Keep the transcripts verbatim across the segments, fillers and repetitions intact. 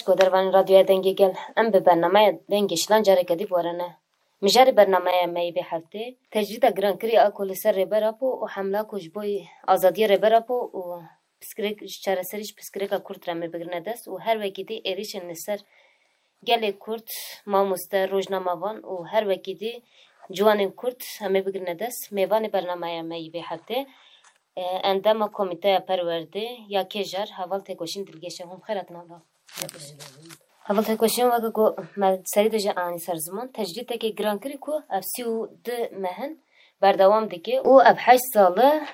Godervanên Radyoya Dengê Gel, em bi bernameya Dengê Şilan careke dî bi we re ne. Mijarê bernameya me yê vê heftê, tecrîda girankirî a ku li ser Rêber Apo û hemla ku ji bo azadiyê Rêber Apo û pirsgirêk, ji çareserî ji pirsgirêka Kurd re me bigirine dest û her wekî dî êrîşên li ser gelê Kurd, mamoste, rojnamevan û her wekî dî ciwanên Kurd em ê bigirine dest. Mêvanê bernameya me yî vê heftê, e, endama Komîteya Perwerdê ya Kêjar, Heval Têkoşîn Dilgeş e. Hûn bi xêr hatin, Heval Têkoşîn. Heval Têkoşîn, weke ku me serî de jî anî ser ziman, tecrîdekê girankirî ku ev sî û du meh in berdewam dike û ev heşt sal e,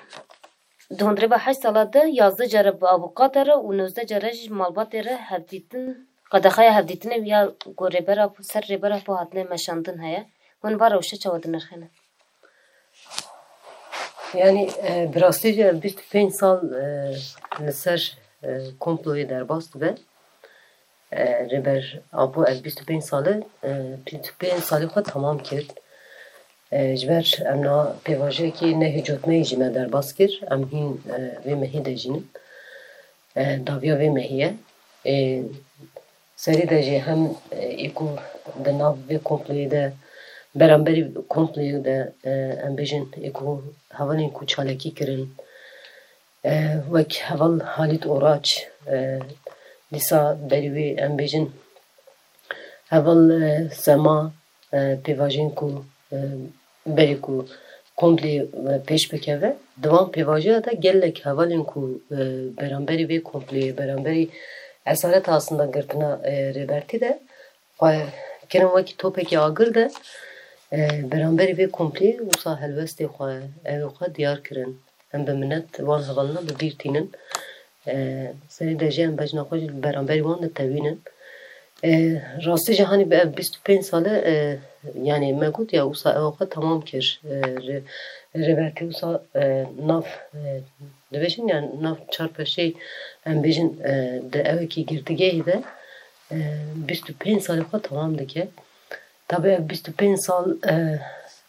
di hundirê ve heşt sala de yazdeh care bi avûkatê re û nozdeh care jî malbatê re hevdîtin, qedexeya hevdîtinê ya ku Rêber Apo, ser Rêber Apo hatine meşandin heye. Hûn va rewşe çawa dinirxînin? Yanî, e, bi rastî jî ev bîst û pênc sal, e, li ser, e, komployê derbas dibe. E, Rêber Apo ev bîst û pênc sal e, e, bîst û pênc salê xwe temam kir. E, ji ber em niha pêvajoyekî nehêcotmeyê jî me derbas kir. Em hîn, e, vê mehê de jî nin. E, dawiya vê mehê ye. E, serî de jî hem, e, ê ku di nav vê komployê de, beramberî komployê de, e, em bêjin ê ku hevalên ku çalakî kirin, e, wek heval Halît Oraç, e, dîsa berî wê em bêjin heval, e, Sema, e, pêvajoyên ku, e, berî ku komplê, e, pêş bikeve, di van pêvajoya de gelek hevalên ku, e, beramberî vê komplê, beramberî esareta aslında girtina, e, Rêbertî de xwe kirin wekî topekî agir de, e, beramberî vê komplê wisa helwestê xwe, evê xwe diyar kirin. Em bi minet wan hevalina bi bîr tînin. E, serî de jî em bejna xwe jî li beramberî wan ditewînin. E, rastî jî hanî bi ev bîst û pênc sal e, e, yanî me got ya wisa ew xwe temam kir. E, rê-, Rêbertî wisa, e, nav, e, dibêjin ya nav çar peşeyê em bêjin, e, di ewekî girtîgehê de, e, bîst û pênc salê xwe temam dike. Tabi ev bîst û pênc sal, e,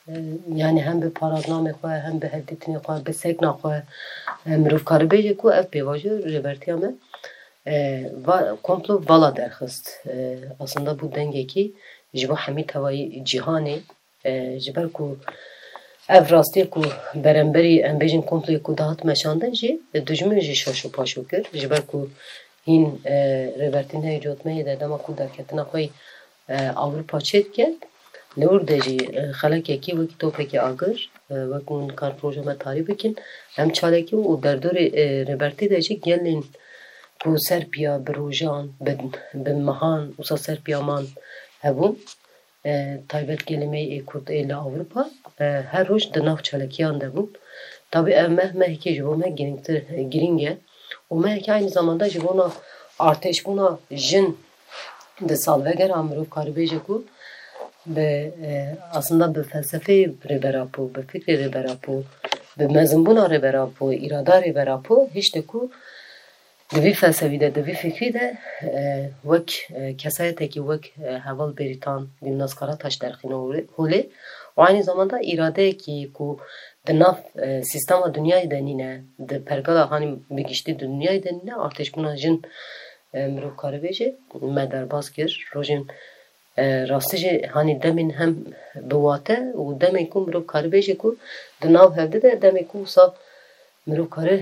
e, yanî hem bi paradnamê xwe, hem bi hevdîtinê xwe, bi sekna xwe, e, mirov karibêje ku ev pêvajo Rêbertiya me, e, va, komplo vala derxist. E, aslında bû dengekî ji bo hemî tevayî cîhanê, e, ji ber ku ev rastiyê ku beramberî em bêjin komployê ku dihat meşandin jî, e, dijmin jî şaş û paşo kir. Ji ber ku hîn, e, Rêbertî nehêcotmeyê de dema ku derketina xwe yî, e, Ewropa çêdike, li wir de jî, e, xelekekî wekî topekî agir, e, wek hûn dikarin proja me tarî bikin, em çalakî û derdorê, e, Rêbertî de jî gelên ku ser piya bi rojan, bi, bi mehan wisa ser piya man hebûn, e, taybet gelê me yê Kurd ê li Ewropa, e, her roj di nav çalakiyan de bûn. Tabî ev meh mehekî ji bo me girîngtir, girîng e û mehekî aynî zamanda ji bona artêşbûna jin di salvegera mirov karibêje ku bi, e, aslında bi felsefeyê Rêber Apo, bi fikrê Rêber Apo, bi mezinbûna Rêber Apo, îrada Rêber Apo hişte ku di vî felsefî de, di vî fikrî de, e, wek, e, kesayetekî wek, e, heval Bêrîtan, Gulnaz Karataş derxîne holê, holê û aynî zamanda îradeyekî ku di nav, e, sîstema dinyayê de nîne, di pergala hanî bi giştî di dinyayê de nîne, artêşbûna jin, e, mirov karibêje me derbas kir. Rojên E, rastî jî hanî demên hem bi wate û demên ku mirov karibêje ku di nav hevdî de demê ku wisa mirov kare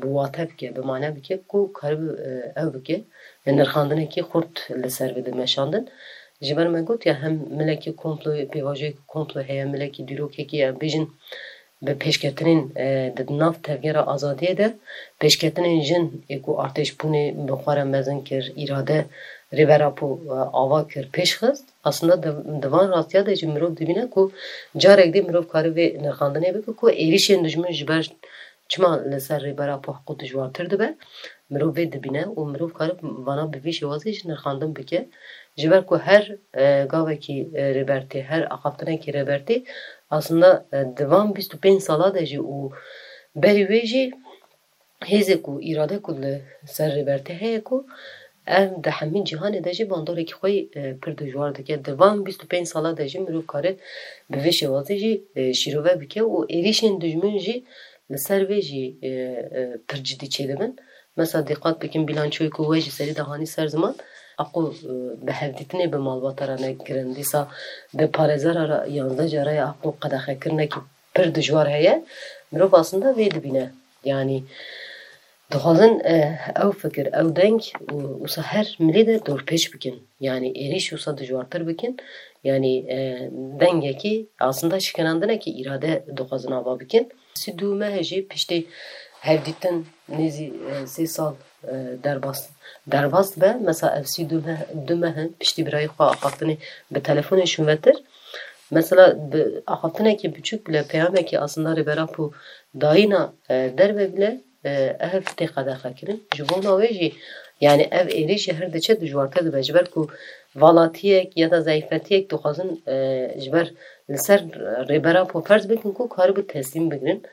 bi wate bike, bi mane bike ku kare bi, e, ew bike, e, nirxandinekî xurt li ser bide meşandin. Ji ber me got ya hem milekî komplo, pêvajoyekî komplo heye, milekî dîrokekî em bêjin bi pêşketinên, e, di nav tevgera azadiyê de pêşketinên jin ê ku artêşbûnê bi xwe re mezin kir, îrade Rêber Apo, e, ava kir, pêş xist. Aslında di, di van rastiya de jî mirov dibîne ku carek dî mirov kare vê nirxandinê bike ku êrîşên dijmin ji ber çima li ser Rêber Apo hiqû dijwartir dibe. Mirov vê dibîne û mirov kare vana bi vî şêwazê jî nirxandin bike. Ji ber ku her, e, gavekî, e, Rêbertî, her axaftinekî Rêbertî aslında, e, di van bîst û pênc sala de jî û berî wê jî hêzê ku, îrade ku li ser Rêbertî heye ku ev di hemî cîhanê de jî bandorekî xwe yî, e, pir dijwar dike. Di van bîst û pênc sala de jî mirov kare bi vê şêwazê jî, e, şîrove bike û êrîşên dijmin jî li ser vê jî, e, e, pir cidî çêdibin. Mesela dîqat bikin bîlançoyê ku we jî serî de hanî ser ziman, Aqo, e, bi hevdîtinê bi malbata re ne kirin. Dîsa bi parêzera re yanzdeh cara ye aqo qedexekirinekî pir dijwar heye. Mirov aslında vê dibîne. Yanî dixwazin, e, ew fikir, ew deng û wisa her milê de dorpêç bikin. Yanî êrîş wisa dijwartir bikin. Yanî, e, dengekî aslında şikenandinekî îrade dixwazin ava bikin. Sî du meh jî piştî hevdîtin nêzî, e, sê sal, e, derbas, derbas dibe. Mesela ev sî du meh, du meh in piştî birayê xwe axaftinê bi telefonê şûnvetir. Mesela bi axaftinekî biçûk bile peyamekî aslında Rêber Apo dayîna, e, derve bile, e, ev tê qedexekirin. Ji bona wê jî, yanî ev êrîş jî her diçe dijwartir dibe. Ji ber ku valatiyek ya da zeyfetiyek dixwazin, e, ji ber li ser Rêber Apo ferz bikin ku karibû teslîm bigirin.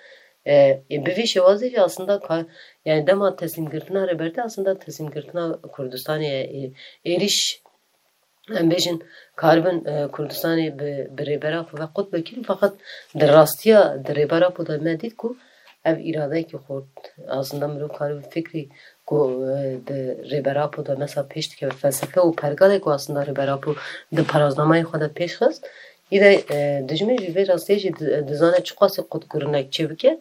E, e, bi vî şêwazê jî aslında ka-, yanî dema teslîmgirtina Rêbertî aslında teslîmgirtina Kurdistanê ye. E, êrîş, em bêjin, karibin, e, Kurdistanê bi, bi Rêber Apo ve qut bikin, feqet di rastiya, di Rêber Apo de me dît ku ev îradeyekî xurt, aslında mirov karibin fikrî ku, e, di Rêber Apo de mesela pêş dikeve, felsefe û pergalê ku aslında Rêber Apo di paraznamayê xwe de pêş xist, îde, e, dijmin jî vê rastiyê jî di-, dizane çiqasî qutgirinek çêbike,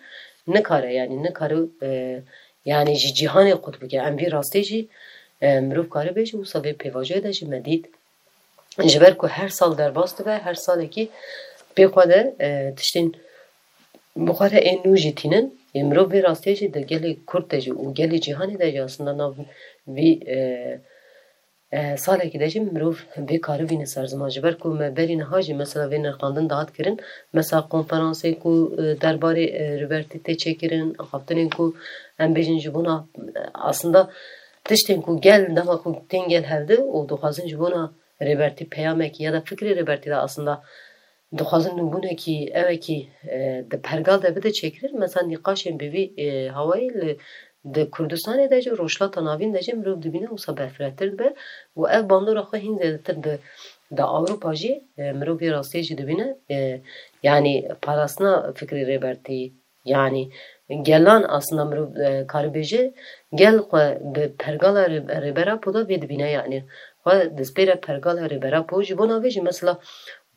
nikare, yanî nikare, e, yanî ji cîhanê qut bike. Em vî rastiyê jî, e, mirov kare bêje, wisa vê pêvajoyê de jî me dît. Ji ber ku her sal derbas dibe, her salekî pê xwe de, e, tiştên bi xwe re ên nû jî tînin. Ê mirov vê rastiyê jî di gelê Kurd de jî û gelê cîhanê de jî aslında nav vî, e, e, salekî de jî mirov vê karibîne ser ziman. Ji ber ku me berî niha jî mesela vê nirxandin dihat kirin. Mesela konferansê ku, e, derbarê, e, Rêbertî tê çêkirin, axaftinên ku em bêjin ji bona, e, aslında tiştên ku gel, dema ku tên gel hevdi û dixwazin ji bona Rêbertî peyamekî ya da fikrê Rêbertî de aslında dixwazin nûbûnekî, evekî, e, di pergal de bide çêkirin. Mesela nîqaşên bi vî, e, hawayê li, di Kurdistanê de jî, Rojhilata Navîn de jî mirov dibîne wisa berfirehtir dibe û ev bandora xwe hîn zêdetir di, di Ewropa jî, e, mirov vê rastiyê jî dibîne. E, yanî parastina fikrê Rêbertî, yanî gelan aslında mirov, e, karibêje, gel xwe bi pergala Rê-, Rêber Apo de vê dibîne, yanî xwe dispêre pergala Rêber Apo. Ji bona vê jî mesela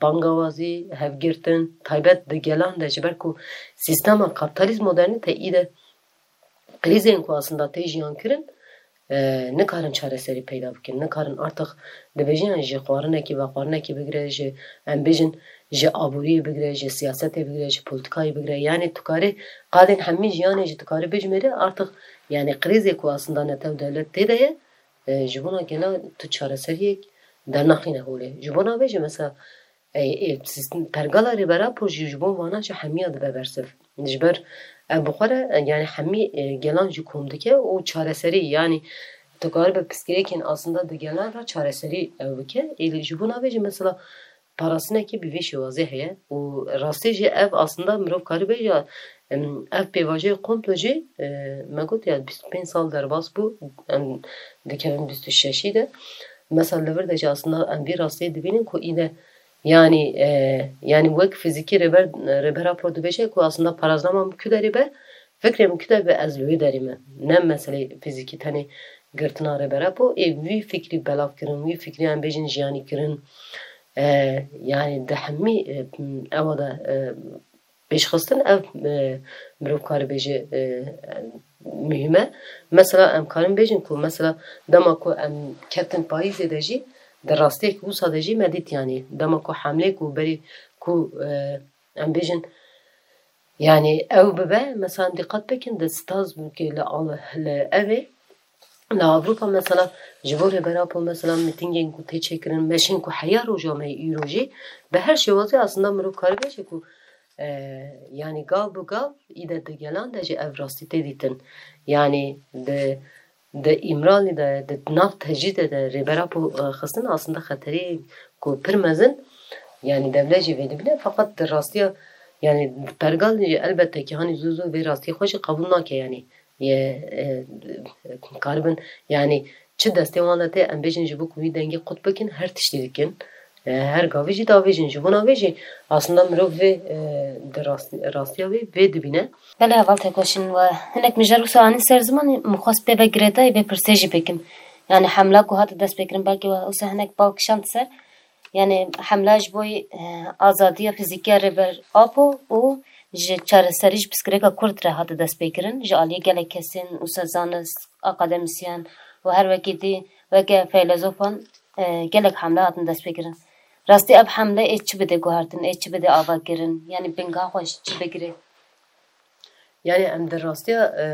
bangawazî, hevgirtin, taybet di gelan de, ji ber ku sîstema kapîtalîst modernîte îde krîzên ku aslında tê jiyan kirin, e, nikarin çareserî peyda bikin. Nikarin artık dibêjin, yani ji xwarinekî vexwarinekî bigire, ji, em bêjin, ji aboriyê bigire, ji siyasetê bigire, ji politikayê bigire. Yani tu karê qadên hemî jiyanê jî tu karî bijmêre, artık yani krîzê ku aslında netew dewlet tê de ye, e, ji bona gela tu çareseriyek dernaxîne holê. Ji bona vê jî mesela, e, e, sîstem, pergala Rêber Apo jî ji bo vana jî hemiya dibe bersiv. Ji ber ev bi xwe re, e, yani hemî, e, gelan jî kom dike û çareserî, yani tu karibe pirsgirêkên aslında di gelan re çareserî ew bike. Ê, ji bona vê jî mesela parastinekî bi vê şêwazê heye û rastî jî ev aslında mirov karibe ya, em, ev pêvajoyê komplo jî, e, me got ya bîst û pênc sal derbas bû, em dikevin bîst û şeşî de. Mesela li vir de jî aslında em vî rastiyê dibînin ku îde yani, e, yani wek fizîkî Rêber, Rêber Apo dibêje ku aslında paraznama min ku derê be, fikrê min ku de be ez li wê derê me. Ne meselê fizîkî tenê girtina Rêber Apo, ê wî fikrî belav kirin, wî fikrî em bêjin jiyanî kirin. E, yani di hemî, e, ewa de, e, pêşxistin ev, e, mirov karibêje, e, muhîm e. Mesela em karin bêjin ku mesela dema ku em ketin payîzê de jî di rastiyek wisa de jî me dît, yani dema ku hemlê ku berî ku, e, em bêjin, yani ew bibe, mesela em dîqet bikin di Strasbourgê li Al-, li evê, li Ewropa mesela ji bo Rêber Apo mesela mîtîngên ku tê çêkirin, meşên ku heya roja me îro jî bi her şêwazê aslında mirov karibêje ku, e, yani gav bi gav îde di gelan de jî ev rastî tê dîtin. Yani di, di Îmralî de, di nav tecrîdê de Rêber Apo, e, xistin aslında xeterî ku pir mezin, yani dewlet jî vê dibîne, feqet di rastiya, yani pergal jî elbette ki hanî zû zû vê rastî xwe jî qebûl nake, yani ye, e, karibin, yani çi destê wan de tê, em bêjin ji bo ku wî dengê qut bikin, her tiştî dikin. E, her gavî jî davêjin. Ji bona vê jî aslında mirov vê, e, di rast-, rastiya vê, vê dibîne. Belê heval Tekoşîn, we hinek mijar wisa anî ser zimanê, min xwest pê ve girêdayî vê pirsê jî bikim. Yani hemla ku hate destpêkirin belkî we wisa hinek bal kişand ser. Yani hemla ji bo, e, azadiya fizîkî ya Rêber Apo û ji çareserî ji pirsgirêka Kurd re hate destpêkirin. Ji aliyê gelek kesên wisa zanist, akademîsyen û her wekî dî weke feylezofan, e, gelek hemle hatin destpêkirin. Rastî ev hemle ê çi bide guhertin, ê çi bide avakirin? Yani bingeha xwe ji çi bigire? Yani em di rastiya, e,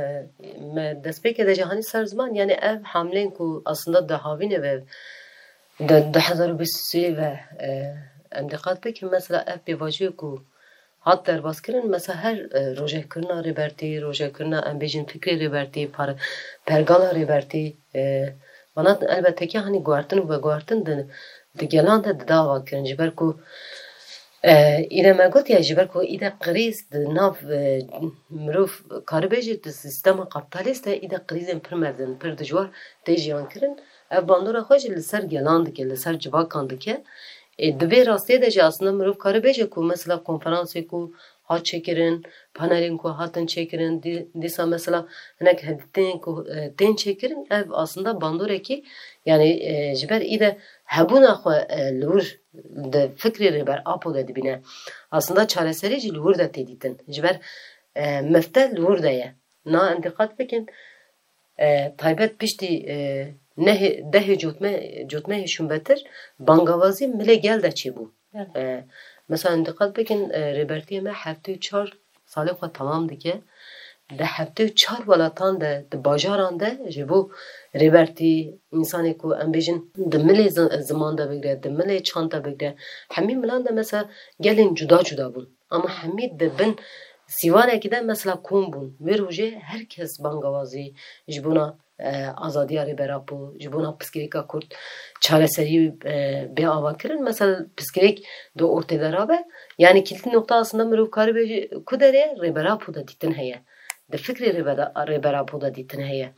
me destpêkê de jî hanî ser ziman, yani ev hamlên ku aslında di havînê ve di du hezar û bîst û sê ve, e, em diqat bikin, mesela ev pêvajoyê ku hat derbas kirin, mesela her, e, rojevkirina Rêbertî, rojevkirina em bêjin fikrê Rêbertî, par-, pergala Rêbertî, e, vana elbette ki hanî guhertin û veguhertin di, di gelan de dida avakirin. Ji ber ku, e, îde me gotiye, ji ber ku îde krîz di nav, e, mirov karibêje di sîstema kapitalîst de îde krîzên pir mezin, pir dijwar tê jiyan kirin. Ev bandora xwe jî li ser gelan dike, li ser civakan dike. Ê, di vê rastiyê de jî aslında mirov karibêje ku mesela konferansê ku hat çêkirin, panelên ku hatin çêkirin, dî-, dîsa mesela hinek hevdîtinên ku, e, tên çêkirin, ev aslında bandorekî, yani, e, ji ber îde hebûna xwe, e, li wir di fikrê Rêber Apo de dibîne. Aslında çareserî jî li wir de tê dîtin. Ji ber, e, mifte li wir de ye. Na em diqat bikin, e, taybet piştî, e, nehê, dehê cotme-, cotmehê şûnbetir bangawazî milê gel de çêbû. Evet. E, mesela diqat bikin, e, Rêbertiyê me heftê û çar salê xwe temam dike. Di heftê û çar welatan de, di bajaran de ji bo Rêbertî, însanê ku em bêjin di milê zi-, ziman de bigre, di milê çand de bigre, hemî milan de mesela gelên cuda cuda bûn. Ama hemî di bin sîwanekî de mesela kom bûn. Wê rojê her kes bangawazî ji bona, e, azadiya Rêber Apo, ji bona pirsgirêka Kurd çareserî, e, bê avakirin. Mesela pirsgirêk di ortê de rabe. Yani kilîtî noqta aslında mirov karibê jî ku derê Rêber Apo de dîtin heye. Di fikrê Rêber-, Rêber Apo de dîtin heye.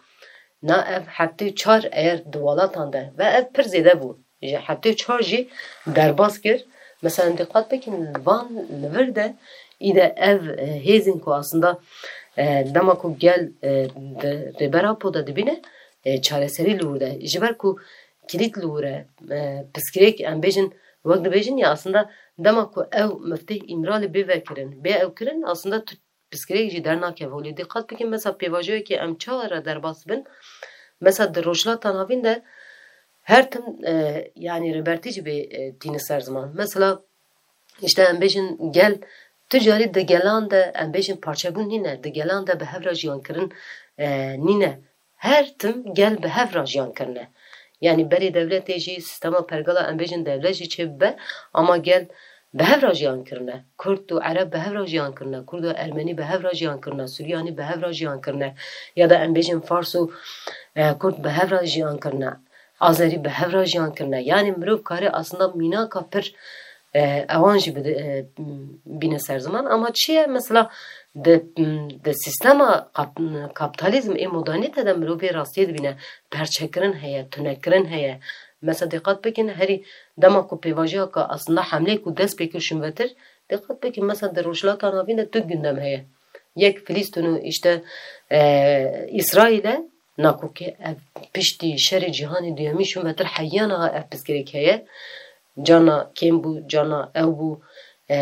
Na ev heftê û çar eger di welatan de ve ev pir zêde bû. Ji heftê û çar jî derbas kir. Mesela diqat bikin, li van li vir de îde ev, e, hêzên ku aslında, e, dema ku gel, e, di Rêber Apo de dibîne, e, çareserî li wir de. Ji ber ku kilît li wir e, e, pirsgirêk em bêjin, wek dibêjin ya aslında dema ku ew miftê Îmralî bê vekirin, bê ew kirin, aslında tu pirsgirêk jî dernakeve holê. Diqat bikin, mesela pêvajoyekê em çawa re derbas bin, mesela di Rojhilata Navîn de her tim, e, yani Rêbertî jî bê, e, tîne ser ziman. Mesela, işte em bêjin gel, tu carî di gelan de em bêjin parçebûn nîne, di gelan de bi hev re jiyan kirin, e, nîne. Her tim gel bi hev re jiyan kirine. Yani berê dewletê jî, sîstema pergala em bêjin dewlet jî çêbibe, ama gel bi hev re jiyan kirine. Kurd û Ereb bi hev re jiyan kirine. Kurd û Ermenî bi hev re jiyan kirine. Suryanî bi hev re jiyan kirine. Ya da em bêjin Fars û, e, Kurd bi hev re jiyan kirine. Azerî bi hev re jiyan kirine. Yani mirov kare aslında mînaka pir, e, ewan jî bide-, e, bîne ser ziman. Ama çi ye? Mesela di, di sîstema kap-, kapitalizm ê modernîte de mirov vê rastiyê dibîne. Perçekirin heye, tunekirin heye. Mesela diqat bikin, herî dema ku pêvajoyeke aslında hemlê ku dest pê kir şûnvetir, diqat bikin, mesela di Rojhilata Navîn de tu gündem heye. Yek Filîstîn û işte, e, Îsraîl e, nakokê ev piştî şerê cîhanê duyemî şûnvetir heya niha ev pirsgirêk heye. Carna kêm bû, carna ew bû. E,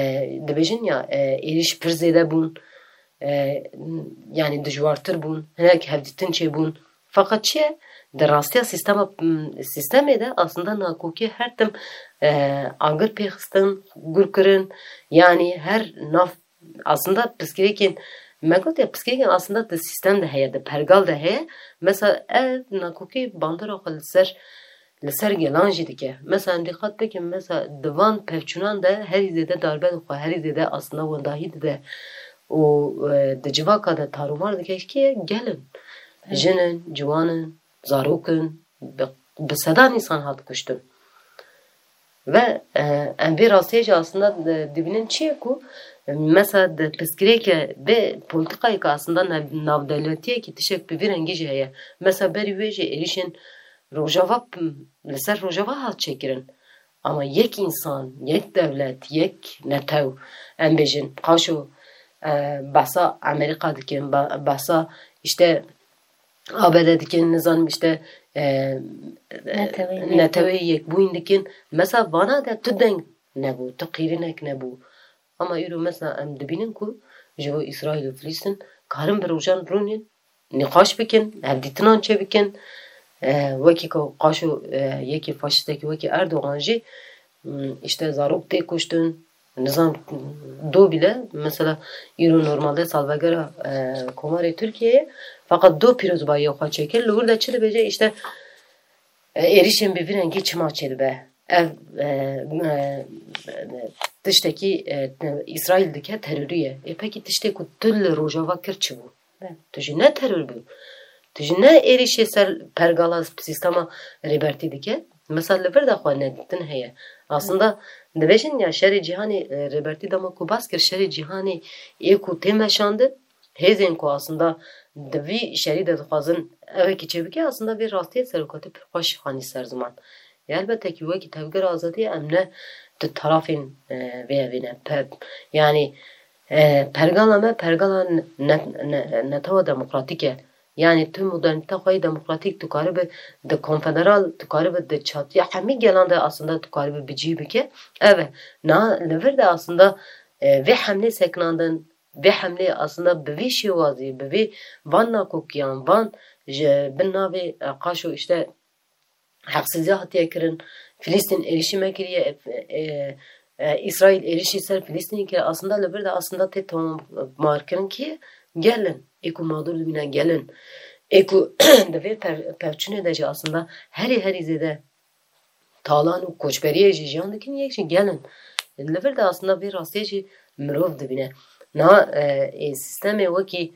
dibêjin ya, e, êrîş pir zêde bûn. E, yani dijwartir bûn. Hinek hevdîtin çêbûn. Feqet çi ye? Di rastiya sîstema, sîstemê de aslında nakokê her tim, e, agir pêxistin, gur kirin. Yani her nav aslında pirsgirêkên, me got ya, pirsgirêkên aslında di sîstem de heye, di pergal de heye. Mesela ev nakokê bandora xwe li ser, li ser gelan jî dike. Mesela em dîqat bikin, mesela di van pevçûnan de herî zêde darbe dixwe, herî zêde aslında wendahî dide û, e, di civaka de tarûmar dike, kê ye? Gel in. Evet. Jin in, ciwan in, zarok in, bi, bi sedan însan hat kuştin. Ve, e, em vê rastiyê jî aslında, e, dibînin çi ye ku, e, mesela di pirsgirêke bê polîtîkayeke aslında nav-, navdewletiyekî tiştek bi vî rengî jî heye. Mesela berî wê jî êrîşên Rojava, m, li ser Rojava hat çêkirin. Ama yek însan, yek dewlet, yek netew, em bêjin, qaşo, e, behsa Amerîka dikin, ba-, behsa işte A B D dikin, nizanim işte e, Neteweyê Neteweyê Yekbûyîn dikin. Mesela vana de tu deng nebû, tu qîrinek nebû. Ama îro mesela em dibînin ku ji bo Îsraîl û Filîstîn karin bi rojan rûnên nîqaş bikin, hevdîtinan çêbikin. E, wekî ku qaşo e, yekî faşistekî wekî Erdogan jî m, işte zarok tê kuştin, nizam do bile, mesela îro normalde salvegera e, Komarê Tirkiyeyê, fakat do pîrozbayiya xwe çêkir, li wir de çi dibêje, işte e, êrişên bi vî rengî çima çêdibe? Ev e, e, tiştekî e, Îsraîl dike terorî ye. Ê pekî tiştê ku tu li Rojava kir çi bû? Tu jî ne teror bû. Tu jî ne êrişê ser pergala sîstema Rêbertî dike. Mesela li vir de xwe nedîtin heye. Aslında dibêjin ya şerê cîhanê e, Rêbertî dema ku bas kir şerê cîhanê ê ku tê meşandin, hêzên ku aslında di vî şerî de dixwazin evekî çêbike, aslında vê rastiyê serokatî pir xweş xanî ser ziman. Ê elbette kî wekî tevgera azadiyê em ne di tarafên e, vê evê ne. Pe, yanî e, pergala me pergala ne, ne, ne, netewa demokratîk e. Yanî tu modernîteya xwe yê demokratîk tu karibe di konfederal, tu karibe di çatiya hemî gelan de aslında tu karibe bi cî bike. Ev e. Na li vir de aslında e, vê hemlê sekinandin, vê hemlê aslında bi vî şêwazî, bi vî van nakokiyan, van ji bin navê e, qaşo işte heqsîziya hatiye kirin, Filîstîn êrişî me kiriye, e, e, e, Îsraîl êrişî ser Filîstînê kiriye, aslında li vir de aslında tê tomarkirin kî gelin, ê ku mağdur dibîne gelin, ê ku di vê pev, pevçûnê de jî aslında herî herî zêde talan û koçberiyê jî jiyan dikin, yek jî gelin. Li vir de aslında vê rastiyê jî mirov dibîne. Na e, ê sîstemê wekî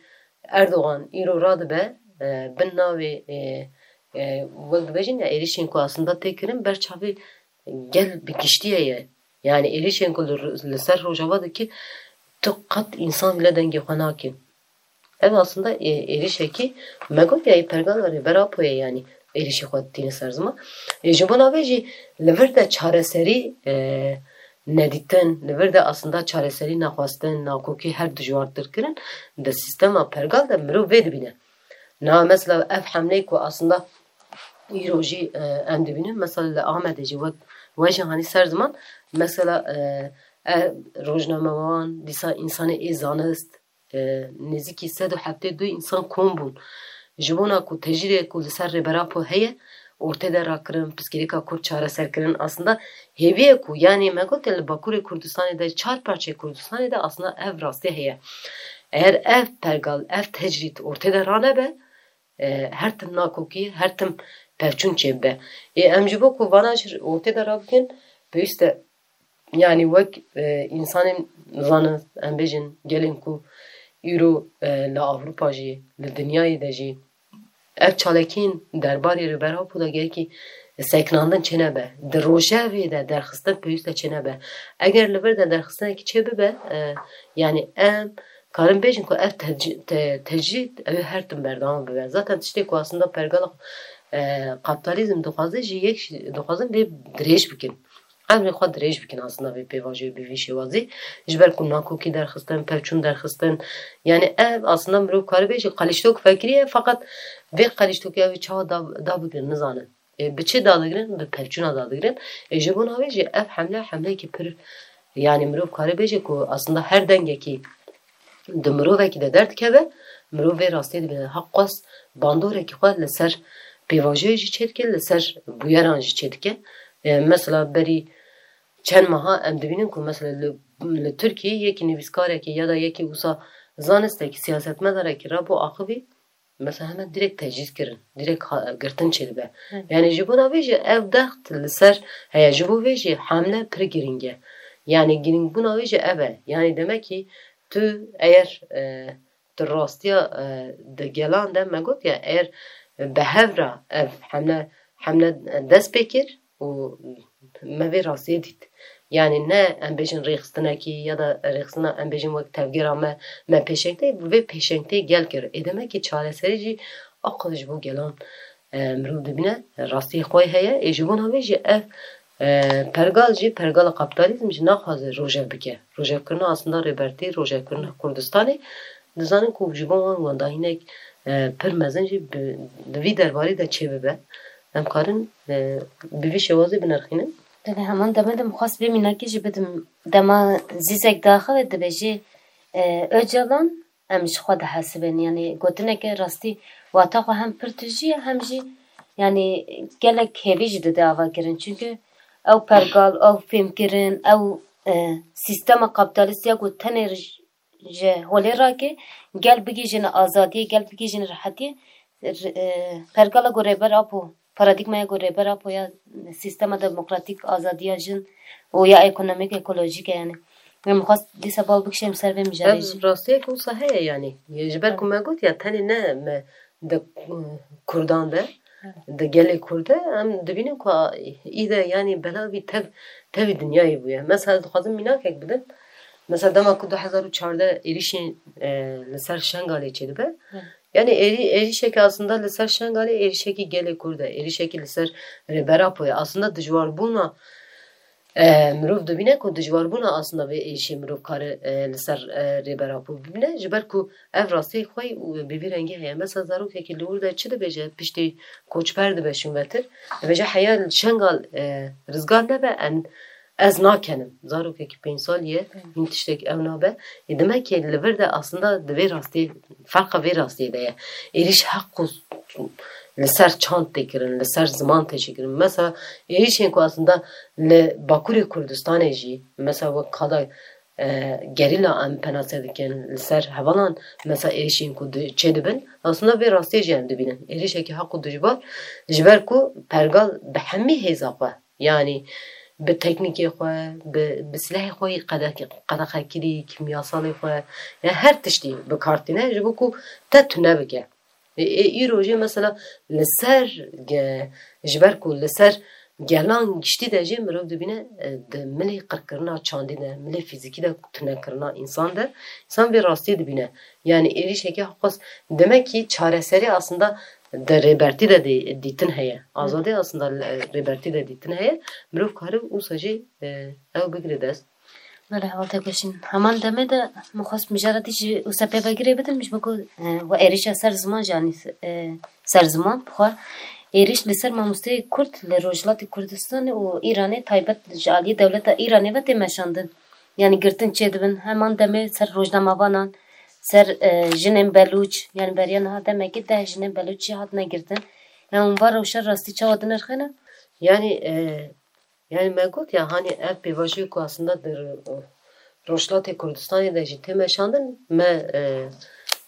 Erdogan îro radibe e, bin navê e, e, wek dibêjin ya êrişên ku aslında tê kirin ber çavê gel bi giştî heye. Yani êrişên ku li, li ser Rojava dike tu qet însan bile dengê xwe nake. Ev aslında ê, êrişekî me got ya ê pergala Rêber Apo ye, yanî êrişî xwe tîne ser ziman. Ê, ji bona vê jî li vir de çareserî e, nedîtin, li vir de aslında çareserî nexwestin, nakokî her dijwartir kirin, di sîstema pergal de mirov vê dibîne. Na mesela ev hemleyê ku aslında îro jî e, em dibînin, mesela li Amedê jî wek we jî hanî ser ziman, mesela e, e, rojnamevan, dîsa însanê ê zanist, e, nêzîkî sed û heftê du însan kom bûn. Ji bona ku tecrîdê ku li ser Rêber Apo heye, ortê de rakirin, pirsgirêka Kurd çareser kirin. Aslında hêviyê ku, yanî me gote li Bakurê Kurdistanê de, çar parçeyê Kurdistanê de aslında ev rastî heye. Eğer ev pergal, ev tecrîd ortê de ranebe, e, her tim nakokî, her tim pevçûn çêbibe. Ê, em ji bo ku vana jî ortê de rabikin, pêwîst e, yanî wek e, însanên zanist, em bêjin gelên ku îro e, li Ewropa jî, li dinyayê de jî ev çalakiyên derbarê Rêber Apo de gerekî sekinandin çênebe. Di rojevê de derxistin pêwîst e çênebe. Eger li vir de derxistinekî çêbibe, e, yanî em karin bêjin ku ev tec- te- tecrîd ew ê her tim berdewam bibe. Zaten tiştê ku aslında pergala e, kapitalizm dixwaze jî yek jî dixwazin vê dirêj bikin. Emrê xwe dirêj bikin aslında vê pêvajoyê bi vî şêwazî. Ji ber ku nakokî derxistin, pevçûn derxistin. Yani ev aslında mirov karibe jî qelîştok vekiriye, feqet vê qelîştokiya wê çawa da, da bigirin nizanin. E, bi çi dadigirin? Bi pevçûna dadigirin. E, ji bona wê jî ev hemle, hemleyekî pir, yani mirov kare bêje ku aslında her dengekî di mirovekî de derdikeve, mirov vê rastiyê dibîne. Heqas bandorekî xwe li ser pêvajoyê jî çêdike, li ser bûyeran jî çêdike. E, mesela berî çend meha em dibînin ku mesela li, li Tirkiyê yekî nivîskarekî ya da yekî wisa zanistekî, siyasetmedarekî rabû axivî, mesela hemen direkt tecrîd kirin, direkt ha- girtin çêdibe. Hı. Yani ji bona vê jî ev dext li ser heye, ji bo vê jî hamle pir girîng e. Yani girîngbûna wê jî ev e. Yani demek ki tu eger e, tu rastiya e, di gelan de me got ya, eger bi hev re ev hamle, hamle dest pê kir û me vê rastiyê dît. Yani ne em bêjin rêxistinekî ya da rêxistina em bêjin wek tevgera me, me pêşengtê, vê pêşengtê gel kir. Ê demek ki çareserî jî aqil ji bo gelan e, mirov dibîne rastiyê xwe heye. Ê ji bona vê jî ev e, pergal jî, pergala kapitalizm jî naxwaze rojev bike. Rojevkirina aslında Rêbertî, rojevkirina Kurdistanê, dizanin ku ji bo wan wendahînek e, pir mezin jî bi, di vî derbarê de çêbibe. Em karin, e, bi vî şêwazê binirxînin. Belê, heman demê de min xwest vê mînakê jî bidim. Dema Zîzek diaxive dibêjê, e, Ocalan, em ji xwe dihesibin. Yanî gotineke rastî wata xwe hem pir tijî ye, hem jî yanî gelek hêvî jî dide ava kirin. Çunke ew pergal, ew fêmkirin, ew, e, sîstema kapîtalîst ya ku tenê ji holê rake, gel bigihîjine azadiyê, gel bigihîjine rehetiyê, r-, e, pergala ku Rêber Apo, paradîgmaya ku Rêber Apo ya sîstema demokratîk, azadiya jin û ya ekonomîk, ekolojîk e, yanî. Min xwest dîsa bal bikişêm ser vê mijarê jî. Ev rastiyek wisa heye, yanî. Ji ber ku me got ya, tenê ne me di, e, Kurdan de, Evet. di gelê Kurd de, em dibînin ku a, î de, yanî, bela vî tev, tevî dinyayê bûye. Mesela, dixwazim mînakek bidim. Mesela, dema ku du hezar û çardeh êrîşên, e, li ser Şengalê çêdibe. Evet. Yanî êrî-, êrîşekî aslında li ser Şengalê êrîşekî gelê Kurd e. Êrîşekî li ser Rêber Apo ye. Aslında dijwarbûna, e, mirov dibîne ku dijwarbûna aslında vê êrîşê mirov kare, e, li ser, e, Rêber Apo bibîne. Ji ber ku ev rastiyê xwe û bi vî rengî heye. Mesela zarokekî li wir de çi dibêje, piştî koçber dibe şûnvetir. Dibêje heya li Şengal, e, rizgar nebe, en, ez nakenim. Zarokekî pênc salî ye, Hı. hîn tiştek ew nabe. Ê, demek ki li vir de aslında di vê rastiyê, ferqa vê rastiyê de ye. Êrîş heqû li ser çand tê kirin, li ser ziman tê çêkirin. Mesela êrîşên ku aslında li Bakurê Kurdistanê jî, mesela wek qada, e, gerîla em penase dikin, li ser hevalan mesela êrîşên ku di-, çêdibin, aslında vê rastiyê jî em dibînin. Êrîşekî heq û dijbar, ji ber ku pergal bi hemî hêza xwe, yanî bi teknîkê xwe, bi, bi silehê xwe yî qede-, qedexe kirî, kîmyasalê xwe, ya her tiştî bi kar tîne, ji bo ku te tune bike. Ê, ê, îro jî mesela li ser ge-, ji ber ku li ser gelan giştî de jî mirov dibîne, e, di milê qirkirina çandî de, milê fîzîkî de, tunekirina însan de, însan vê rastiyê dibîne. Yanî êrîşeke xwest, demek ki çareserî aslında di rêbertî de dî-, dîtin heye. Hı. Azadî aslında li, rêbertî de dîtin heye. Mirov kare wisa jî, e, ew bigire dest. Belê, heval Tekoşîn. Heman demê de min xwest mijara te jî wisa pêvegirê bidim, ji bo ku, e, we êrîşa ser ziman jî anî, e, ser ziman. Bi xwe êrîş li ser mamosteyê Kurd li Rojhilatê Kurdistanê û Îranê, taybet ji aliyê dewleta Îranê ve tê meşandin. Yanî girtin çêdibin. Heman demê ser rojnamavanan, ser, e, jinên Belûç, yanî beriya niha demekî deh jinên Belûç jî hatine girtin. Yanî hûn van rewşa rastî çawa dinirxîne? Yanî, e, Yanî me got ya, hanî ev pêvajoyê ku aslında di Ro-, Rojhilatê Kurdistanê de jî tê meşandin, me, e,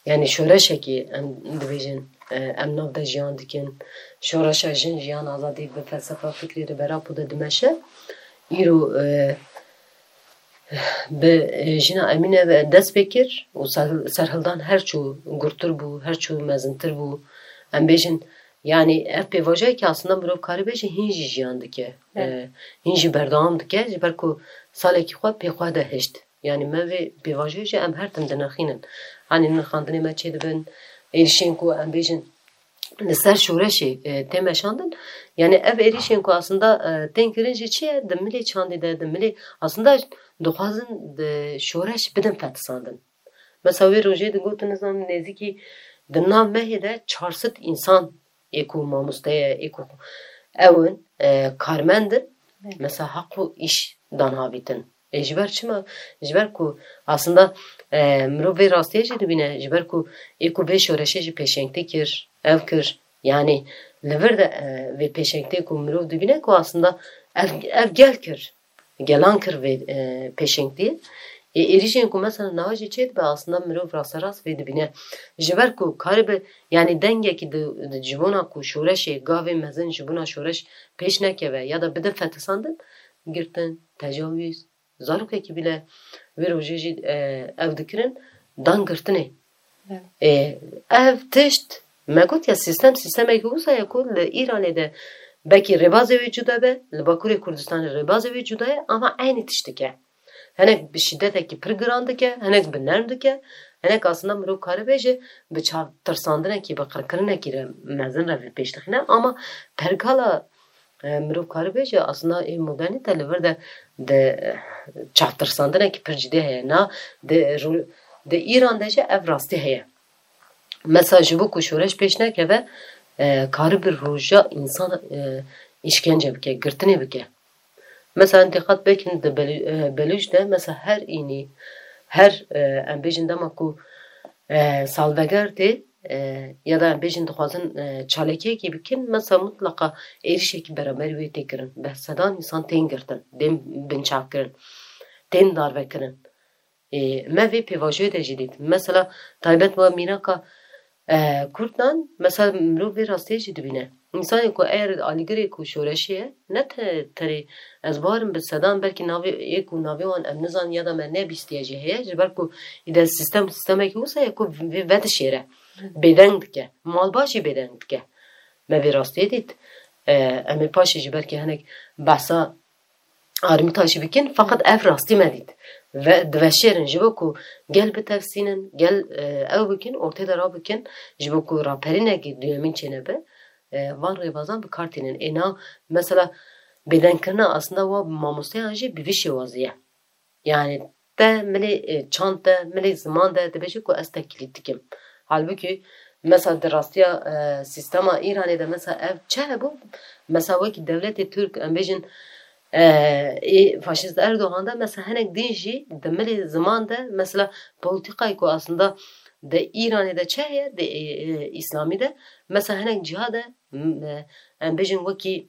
yanî şoreşekî em dibêjin, e, em nav de jiyan dikin. Şoreşa jin, jiyan, azadî bi felsefa fikrê Rêber Apo de dimeşe. Îro, e, bi, e, jina Emîne ve dest pê kir û ser-, serhildan her çû gurtir bû, her çû mezintir bû. Em bêjin, Yanî ev pêvajoyekî aslında mirov karî bêje hîn jî jiyan dike. Evet. E, hîn jî berdewam dike, ji ber ku salekî xwe pê xwe de hişt. Yanî me vê pêvajoyê jî em her tim dinirxînin. Hanî nirxandinê me çêdibin, êrîşên ku em bêjin li ser şoreşê, e, tê meşandin. Yanî ev êrîşên ku aslında, e, tên kirin jî çi ye? Di milê çandê de, di milê aslında dixwazin di şoreş bidin fetisandin. Mesela wê rojê digotin, nizanim, nêzîkî di nav mehê de çar sed însan ê ku mamoste ye, ê ku ew in, e, karmend in, Evet. mesela heq û îş dan havîtin. Ê ji ber çima? Ji ber ku aslında, e, mirov vê rastiyê jî dibîne, ji ber ku ê ku vê şoreşê jî pêşengtî kir, ev kir. Yanî li vir de, e, vê pêşengtiyê ku mirov dibîne ku aslında ev, ev gel kir. Gelan kir vê, e, pêşengtiyê. Ê, êrîşên ku mesela niha jî çêdibe, aslında mirov rasterast vê dibîne. Ji ber ku karibe, yanî dengekî di, di ji bona ku şoreşê gavê mezin ji bona şoreş pêş nekeve ya da bide fetisandin, girtin, tecawîz, zarokekî bile wê rojê jî, e, ew dikirin, dan girtinê. Evet. Ê, ev tişt, me got ya, sîstem, sîstemekî wisa ye ku li Îranê de belkî rêbazê wê cuda be, li Bakurê Kurdistanê rêbazê wê cuda ye, ama eynî tiştik e. Hinek bi şîdetekî pir giran dike, hinek bi nerm dike, hinek aslında mirov karibêje bi çavtirsandinekî, bi qirkirinekî re mezin re vê pêş dixîne, ama pergala E, mirov karibêje, aslında ê modernîte li vir de di, e, çavtirsandinekî pir cidî heye. Na, di ru-, di Îran de jî ev rastî heye. Mesela ji bo ku şoreş pêş nekeve, e, karibe roja însan, e, îşkence bike, girtinê bike. Mesela em dîqat bikin di Belû-, e, Belûc de mesela her înî, her, e, em bêjin dema ku, e, salveger tê, e, ya da em bêjin dixwazin, e, çalakiyekê bikin, mesela mutlaqa êrîşekî beramberî wê tê kirin. Bi sedan însan tên girtin, tên binçavkirin, tên darvekirin. Ê, me vê pêvajoyê de jî dît. Mesela taybet we mînaka, e, Kurdan, mesela mirov vê rastiyê jî dibîne. Însanê ku eger alîgirê ku şoreşê ye, ne te-, tenê ez bawerim bi sedan belkî navê ê ku navê wan em nizanin ya da me nebîstiye jî heye, ji ber ku îde sîstem sîstemekî wisa ye ku vê vedişêre, bêdeng dike. Malbat jî bêdeng dike. Me vê rastiyê dît. E, em ê paşê jî belkî hinek behsa Armîta jî bikin, feqet ev rastî me dît. Ve diveşêrin ji bo ku gel bitefsînin, gel, e, ew bikin, ortê de rabikin, ji bo ku raperînekî duyemîn çênebe, e, van rêbazan bi kar tînin. Êna, mesela, bêdengkirina aslında wa mamosteyan jî bi vî şêwazî ye. Yani te milê, e, çand de, milê ziman de dibêje ku ez teklîtîk im. Halbûkî, mesela, di rastiya, e, sîstema Îranê de, mesela, ev çi hebû? Mesela, wekî dewletê Tirk, em bêjin, e, ê faşîst Erdogan de, mesela, hinek din jî di milê ziman de, mesela, polîtîkayê ku aslında di Îranê de çi heye, di, e, e, Îslamî de, mesela, hinek ciha de, m-, e, em bêjin wekî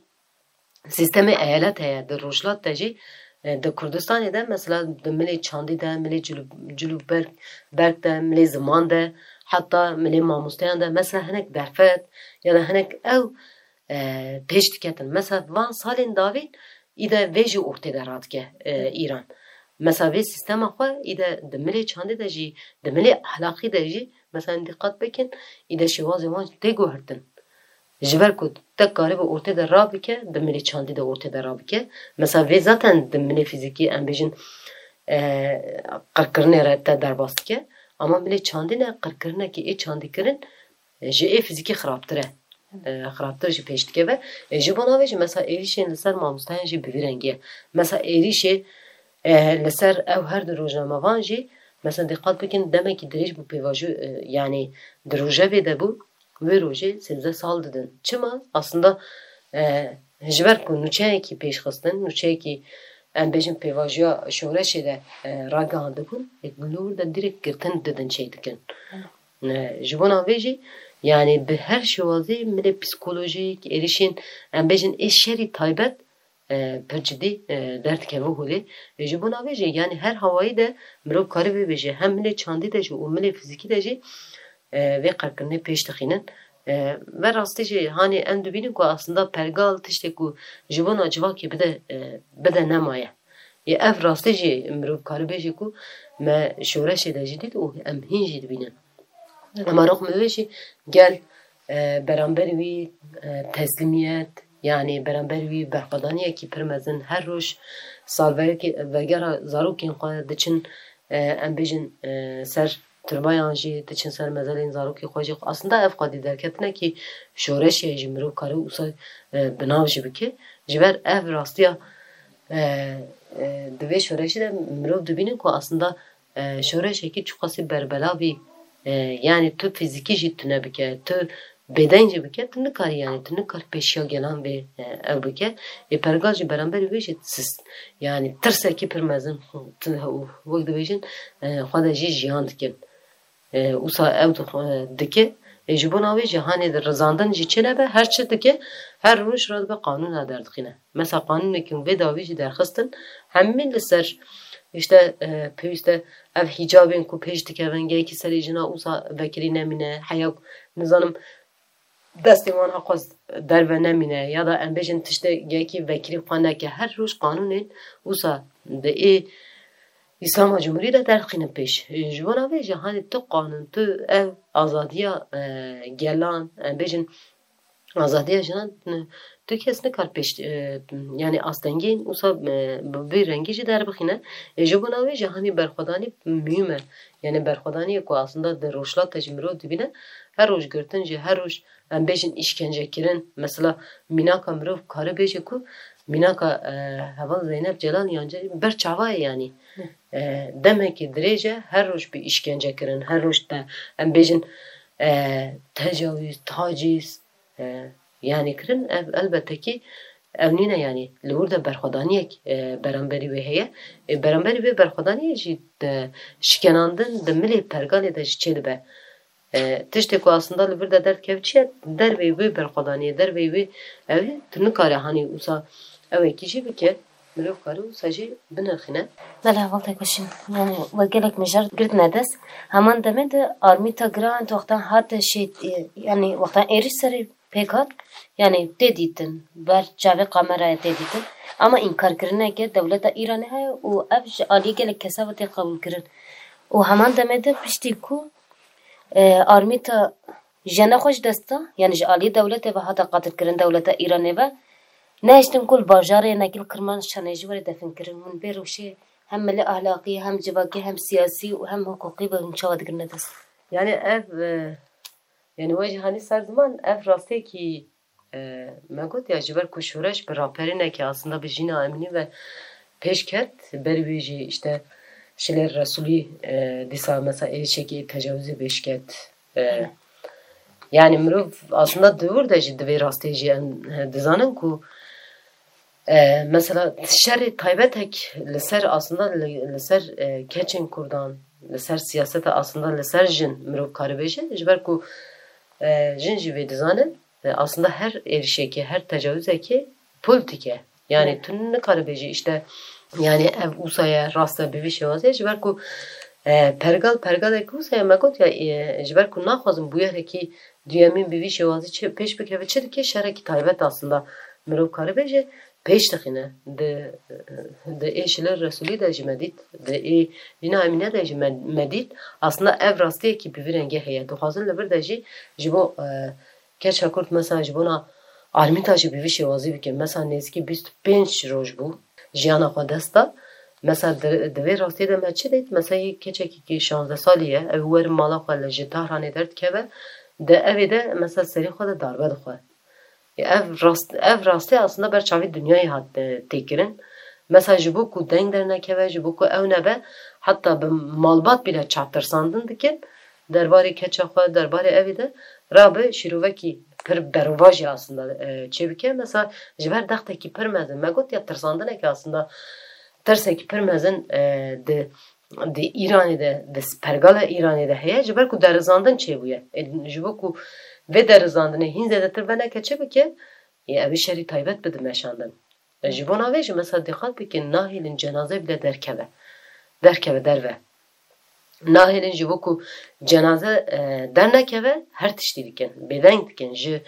sîstemê eyalet heye, di Rojhilat de jî, e, di Kurdistanê de, mesela, di milê çandî de, milê cilû-, cilûberg, berg de, milê ziman de, heta milê mamosteyan de, mesela, hinek derfet ya da hinek ew, e, pêş diketin. Mesela, van salên dawîn îde vê jî ortê de radike, e, Îran. Mesela, vê sîstema xwe îde di milê çandî de jî, di milê ahlaqî de jî, mesela, em dîqat bikin, îde şêwazê wan tê guhertin. Ji ber ku te karibe ortê de rabike, di milê çandî de ortê de rabike. Mesela vê zaten di milê fîzîkî, em bêjin, e, qirkirinê re te derbas dike. Ama milê çandî ne, qirkirinekî ê çandî kirin, e, ji ê fîzîkî xirabtir e. E, xirabtir jî pêş dikeve. E, ji bona vê jî mesela êrîşên li ser mamosteyan jî bi vî rengî ye. Mesela êrîşê, e, li ser ew her du rojnamevan jî, mesela dîqat bikin, demekî dirêj bû pêvajo, e, yanî di rojevê de bû. Wê rojê sêzdeh sal didin. Çima? Aslında, e, ji ber ku nûçeyekî pêş xistin, nûçeyekî, em bêjin, pêvajoya şoreşê de, e, ragihandibûn, ê li wir de dirêk girtin didin çêdikin. E, ji bona vê jî, yanî bi her şêwazî milê psîkolojîk, êrîşên, em bêjin, ê şerî taybet, e, pir cidî, e, derdikeve holê. E, ji bona vê jî, yanî her hawayî de mirov karibe bêje, hem milê çandî de jî û milê fîzîkî de jî, e, vê qirkirinê pêş dixînin. E, ve rastî jî hanê em dibînin ku aslında pergal tiştê ku ji bona civakê bide, e, bide nemaye. Yê ev rastî jî mirov karibe bêje ku me şoreşê de jî dît û em hîn jî dibînin. Ema rixmê wê jî gel, e, beramberî wî, e, teslîmiyet, yanî beramberî wî berxwedaniyekî pir mezin, her roj salvegera zarokên xwe diçin, e, em bêjin, e, ser turbayan jî, diçin ser mezelên zarokê xwe jî. Aslında ev xwedî derketinekî şoreşê ji mirov kare wisa, e, bi nav jî bike. Ji ber ev rastiya, e, e, di vê şoreşê de mirov dibîne ku aslında, e, şoreşekî çiqasî berbelavî, e, yanî tu fîzîkî jî tune bike, tu bêdeng jî bike, tu nikarî, yanî tu nikar pêşiya gelan vê, e, ew bike. Ê pergal jî beramberî wê jî sist, yanî tirsekî pir mezin, tu, wek dibêjin, e, xwe de jî jiyan dikin. E, wisa ew dixwe-, e, dike. E, ji bona wê jî hanê di rizandin jî çênebe, her çi dike, her roj radibe qanûna derdixîne. Mesela qanûnekî vê dawî jî derxistin, hemî li ser, işte, e, pêwîst e ev hîcabên ku pêş dikevin, gelekî serê jina wisa vekirî nemîne, heya ku, nizanim, destê wan heqas derve nemîne, ya da em bêjin tiştê gelekî vekirî xwe neke. Her roj qanûnên wisa di ê Îslama Cumhurî de derxînin pêş. Ji bona vê jî hanê tu qanûn, tu ev azadiya, e, gelan, em bêjin azadiya jinan, tu kes nikar pêş, e, yanî astengiyên wisa, e, bi vî rengî jî derbixîne. E, ji bona wê jî hanî berxwedanî muhîm e. Yanî berxwedaniyê ku aslında di rojhilat de jî mirov dibîne, her roj girtin jî, her roj, em bêjin, îşkencekirin. Mesela mînaka mirov kare bêje ku mînaka, e, heval Zeynep Celal yan ber çava ye yanî. E, demekî dirêj e, her roj bi îşkence kirin, her roj te, em bêjin, e, tecawîz, taciz, e, yanî kirin, ev elbette kî ev nîne, yanî li wir de berxwedaniyek, e, beramberî wê heye. E, beramberî vê berxwedaniyê jî de şikenandin di milê pergalê de jî çêdibe. E, tiştê ku aslında li vir de derdikeve çi ye? Derveyî wê berxwedaniyê, derveyî wê ew ê, tu nikare hanî wisa ewekî jî bike, mirov kare wisa jî binirxîne. Belê, hevaltek Weşîn. Yani we gelek mijar girtine dest. Heman demê de armîta giran wextan hate şêt, e, yani wextan êrîş serê pêk hat, yani tê dîtin, ber çavê kameraya tê dîtin. Ama înkarkirineke dewleta Îranê heye û ev ji aliyê gelek kesa ve tê qebûlkirin. Û heman demê de piştî ku, e, armîta jiyana xwe ji dest da, yani ji aliyê dewletê ve hate qatilkirin, dewleta Îranê ve, nehiştin ku li bajarê yekî li Kirmanşanê jî were definkirin. Hûn bê rewşê hem milî ahlaqî, hem civakî, hem siyasî û hem hiqûqî ve hûn çawa digirine dest? Yani ev, e, yani we jî hanî ser ziman, ev rastiyekî, e, me got ya, ji ber ku şoreş bi raperînekê aslında bi jîna Emînî ve pêş ket, berî wê jî işte Şilêr Resûlî, e, dîsa mesela êrişekî tecawizê pêş ket. E, Hı. Yani mirov aslında di wir de jî di vê rastiyê jî em, e, dizanin ku, e, mesela şerê taybetek li ser aslında li, li ser, e, keçên Kurdan, li ser siyaseta aslında li ser jin mirov karibê jî, ji ber ku, e, jin jî vê dizanin, e, aslında her êrişekê, her tecawizekê polîtîk e. Yani Hı. tu nikaribê jî işte, yani ev wisa ye, rast e, bi vî şêwazê, ji ber ku, e, pergal, pergalek wisa ye, me got ya, e, ji ber ku naxwazim bûyerekî duyemîn bi vî şêwazî çi, pêş bikeve, çi dike, şerekî taybet aslında mirov karibê jî pêş dixîne. Di, di ê Şilêr Resûlî de jî me dît, di ê Jîna Emîne de jî me, me dît. Aslında ev rastiyekî bi vî rengê heye. Dixwazin li vir de jî ji bo, e, keça Kurd mesela ji bona armîta jî bi vî şêwazî bike. Mesela nêzîkî bîst û pênc roj bû jiyana xwe dest da. Mesela di, di vê rastiyê de me çi dît? Mesela yê keçekî ku şazdeh salî ye, ew werin mala xwe li ji Tahranê derdikeve, di evê de mesela serê xwe de darbe dixwe. Ev rast, ev rastî aslında ber çavê dinyayê hat, e, têkirin. Mesela ji bo ku deng dernekeve, ji bo ku ew nebe, heta bi malbat bile çav tirsandin dikin. Derbarê keça xwe, derbarê evê de rabe şîrovekî pir berovajî aslında, e, çêbike. Mesela ji ber dextekî pir mezin, me got ya tirsandinekî aslında tirsekî pir mezin, e, di, di Îranê de, di pergala Îranê de heye, ji ber ku derizandin çêbûye. E, ji bo ku vê derizandinê hîn zêdetir veneke çi bike, ê, ev ê şerî taybet bide meşandin. E, ji bona vê jî mesela dîqat bikin, nahêlin cenaze bile derkeve. Derkeve derve. Nahêlin ji bo ku cenaze, e, dernekeve, her tiştî dikin. Bêdeng dikin. Ji,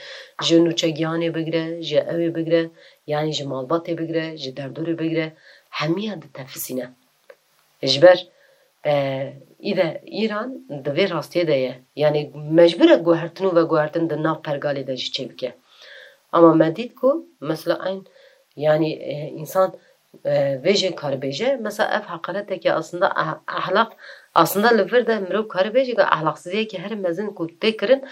ji nûçegihanê bigire, ji ewê bigire, yanî ji malbatê bigire, ji derdorê bigire, hemiya ditefisîne. Ji ber, e, îde Îran di vê rastiyê de ye. Yanî mecbûr e guhertin û veguhertin di nav pergalê de jî çêbike. Ama me dît ku mesela eyn, yanî, e, însan, e, vê jê karibêje, mesela ev heqareteke aslında ah-, ahlak, aslında li vir de mirov karibêje ku ahlaksiziyeke her mezin ku tê kirin,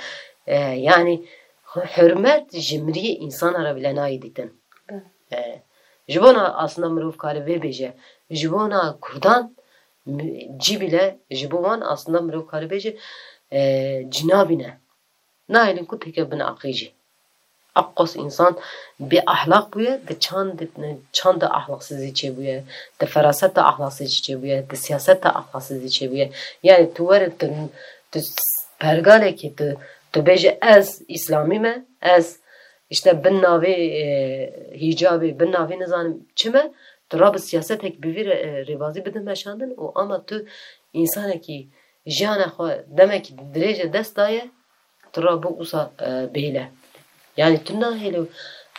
e, yanî hurmet ji miriyê însana re bile nayê dîtin. Belê. E, ji bona aslında mirov kare vê bêje, ji bona Kurdan mi-, cî bile ji bo wan aslında mirov kare bêje, e, cî nabîne. Nahêlin ku têke bin aqî jî. Aqos însan bê ahlak bûye, di çand, çand de ahlaksizî çêbûye, di feraset de ahlaksizî çêbûye, di siyaset de ahlaksizî çêbûye. Yani tu were tu, tu pergalekî tu, tu bêje ez îslamî me, ez işte bin navê, e, hîcabê, bin navê nizanim çi me, tu rabe siyasetek bi vî re, e, rêbazî bide meşandin û ama tu însanekî jiyana xwe demekî dirêje dest daye, tu rabe wisa, e, bêle. Yani tu nahêle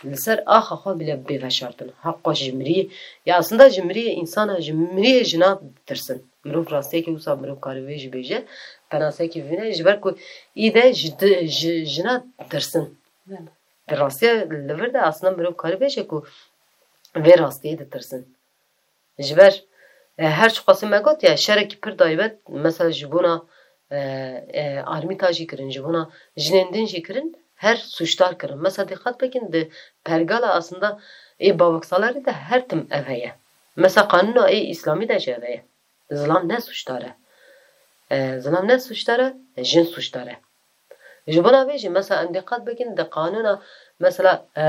li ser axa xwe bile bê veşartin. Heqqa ji miriyê, ya aslında ji miriyê însana, ji miriyê jina ditirsin. Mirov rastiyekî wisa mirov kare vê jî bêje, penasekî vîne, ji ber ku îde ji di-, ji jina ditirsin. Belê. Di rastiya li vir de aslında mirov kare bêje ku vê rastiyê ditirsin. Ji ber, e, her çiqasî me got ya, şerekî pir taybet, mesela ji bona, e, e, armîta jî kirin, ji bona jinên din jî kirin, her sûcdar kirin. Mesela dîqat bikin, di pergala aslında ê Bavaksalarî de her tim ev heye. Mesela qanûna ê îslamî de jî ev heye. Zilam ne sûcdar e. E, zilam ne sûcdar e, jin sûcdar e. Ji bona vê jî mesela em diqet bikin di qanûna, mesela, e,